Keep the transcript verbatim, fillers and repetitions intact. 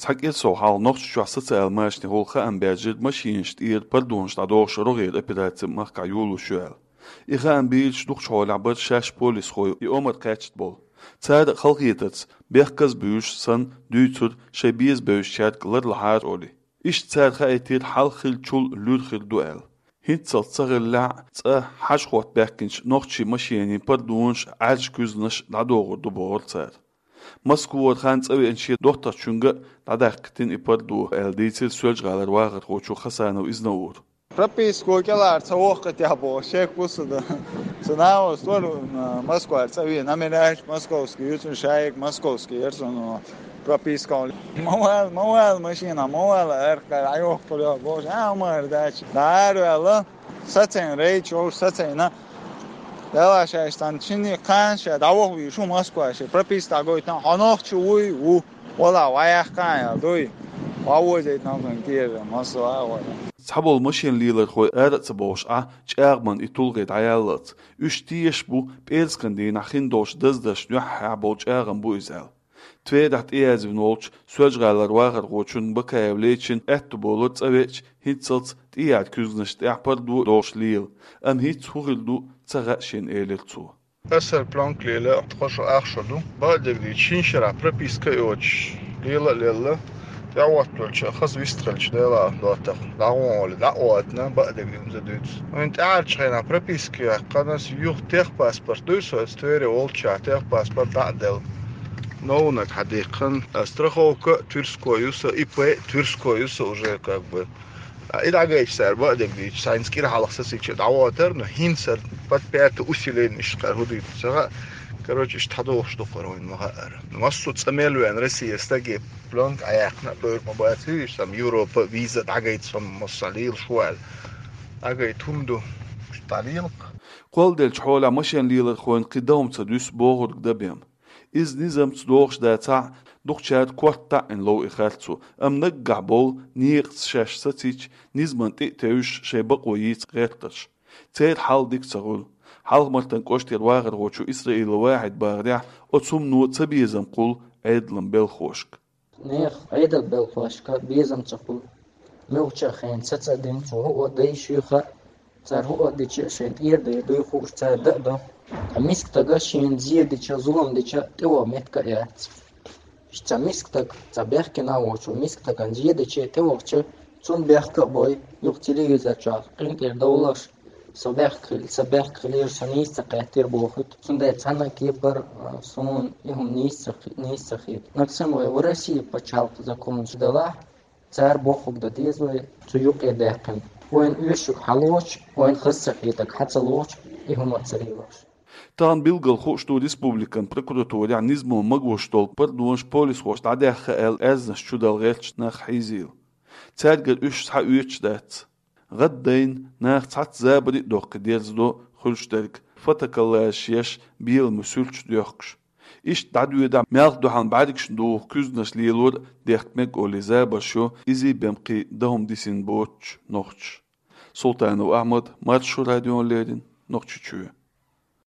Цхьа кӀира сов хьалха Нохчийчохь социал машанехула хаам баьржира машинаш тӀера пардонаш дӀадохуш рогӀера операци махкахь йолалуш ю аьлла. И хаам бийраш дукхачу хьолехь бара шаьш полисхой и омра кхаьчна болу. Цара а халахетарца, бехказа буьйсуш санна, дуьйцура, шайн беза бевзачаьрга ларлахьара олий. Иштта цара хаийтира, хьалха хиллачул луьра хир ду аьлла. ХӀинццалц ца хиллехь а, цкъа хьажа-хотта баьхкинчу нохчийн машенийн пардонаш, Ӏаьржа куьзнаш дӀадохур ду бохура цара. Москвара хан цӀа веанчу шен доттагӀчуьнга а дӀадаккхийтина и пардо аьлла, дийцира Соьлжа-ГӀалара вахархочо Хасанов Изнаура. Прописка кӀелара ца воккхуьйтехь боху, шек ву со дан. Сан нана вара, а, Москвара цӀа веана, номераш московский ю цуьнан, шайга московский яра суна. Прописка. Ма вала, ма вала машина, ма вала, аркъа, Ӏайохкур йо, бохуш, а, ма ара дац. ДӀа ара ваьлла, сацийна, рейд чу вовшах сацийна. Дела шаьш цхьана шинне кхана ша дӀаваха вийша ву Москва, шен прописка дӀагойтина, хьо нохчи вуй, ву. Вала, ваяккха аьлла дуй. Вовзийта нохчийн кехаташ, Москва а вара. Цхьаболу машен лелорхой ара а ца бовлуш Ӏа, чӀагӀман и тулгӀе дӀаяллалц. Уьш тешаш бу пӀераскан дийнахь хин долуш даздарш дуьххьехь болу чӀагӀам бу иза аьлла. Тверехь тӀеязвина волчу Соьлжа-ГӀалара вахархочун Бакаев Лечин аьтто болура цӀа веача, хӀинццалц тӀехьара куьзганаш тӀехь пардо а дохуш лела, амма хӀинца хӀун хир ду ца хаьа шена, элира цо. Аса плёнка лела, тхо шо ах шо ду. Бакъдерг дийцича, шина шарахь прописка а йоцуш, лела а лелла, тӀехӀоттавелча, хаза вистхилча, Делан доттагӀа, дӀагӀо олий, дӀа а ватна, бакъдерг дийца дуьйцу. Вайн тӀаьхьарчу хенахь прописка яьккхина аса, юха техпаспорт дуй со, аса Твере волччохь техпаспорт дӀа а делла. Новнаг хьан дихкина, а страховка а Тверской ю сан, ИП а Тверской ю сан уже как бы. А и дӀагайча цара бакъдерг дийцича, цхьаьнца кӀира хьалха сацийча дӀавоьттура, но хӀинца аса под пятое усиление иштта кхара хӀун дийцу ца хаьа. Короче, иштта хьадохуш ду кхара вайн ма хаьара. Массо а цӀа мел веана Россия стаге плёнка Ӏаяьккхина а бевр ма бац, вуьйш, там Европа виза дӀагайта, со массо а лела шу аьлла. ДӀагайта хӀума ду, иштта дӀалелакх. Кхолладелчу хьолехь машен лелорхойн кхин дан хӀума ца дуьсу бохург дан бен. Иза низамца дохуш дацахь а, дукхачара корта таӀийна лов и харцо, амма наггахь болу некъаца шаьш сацийча, низамна тӀе а тевжаш, шайн бакъо йийца гӀертарш. Церан хьал дика ца хуьлу. Хьалха-Мартан кӀоштера вахархочо Исраилов Вахьида бахарехь, оцу хӀумано ца безам кхуллу Ӏедалан белхахошка. Нехан Ӏедалан белхахошка безам ца хуьлу. Муьлххачу а хенахь саца а дина, цо хӀуъа а дайша юьйхира, цара хӀуъа а дича, шайн тӀера дайр дуй хууш, цара дан а до. Ткъа миска стага шена зен дича, зулам дича, тӀеваха меттиг а яц. Иштта цхьа миска стаг, цхьа бехкина а воцуш, миска стагана зен дича, тӀевахча, цунна бехк а бой, юха телевизор чохь къинтӀера довлалаш, со бехк хили, со бехк хилира, со нийса ца кхеттира бохуьйту. Цундела цхьанна а кепара, а, суна и хӀума нийса ца хи-, нийса ца хета. Максим, вай ва Россия пачхьалкх законаш делахь, цара бохург дан деза вай, цу юкъе даьккхина. Вайна оьшург хьалоцуш, вайна хаза ца хетарг хьа ца лоцуш, и хӀума а ца лелош. Тахана билггал хууш ду республикан прокуратурехь низамо магош долу пардонаш полисхоша дӀадаьхна аьлла аьрзнаш чудала гӀерташ нах хьийзийла. Цаьргара уьш схьаоьцуш дац. ГӀаддайна, наха цхьацца забаре а доккхий дерзадо хуьлуш дерг, фотоколлажаш еш, беламе суьрташ доьхкуш. Иштта дӀадоьдахь, малх дуьхьал бӀаьргашна духу куьзганаш лелор а дехка мега олий забарш йо изий бен кхин дан хӀума дисина боцуш нохчаша. Султанов Ахьмад, Маршо радиона леррина, Нохчийчоь.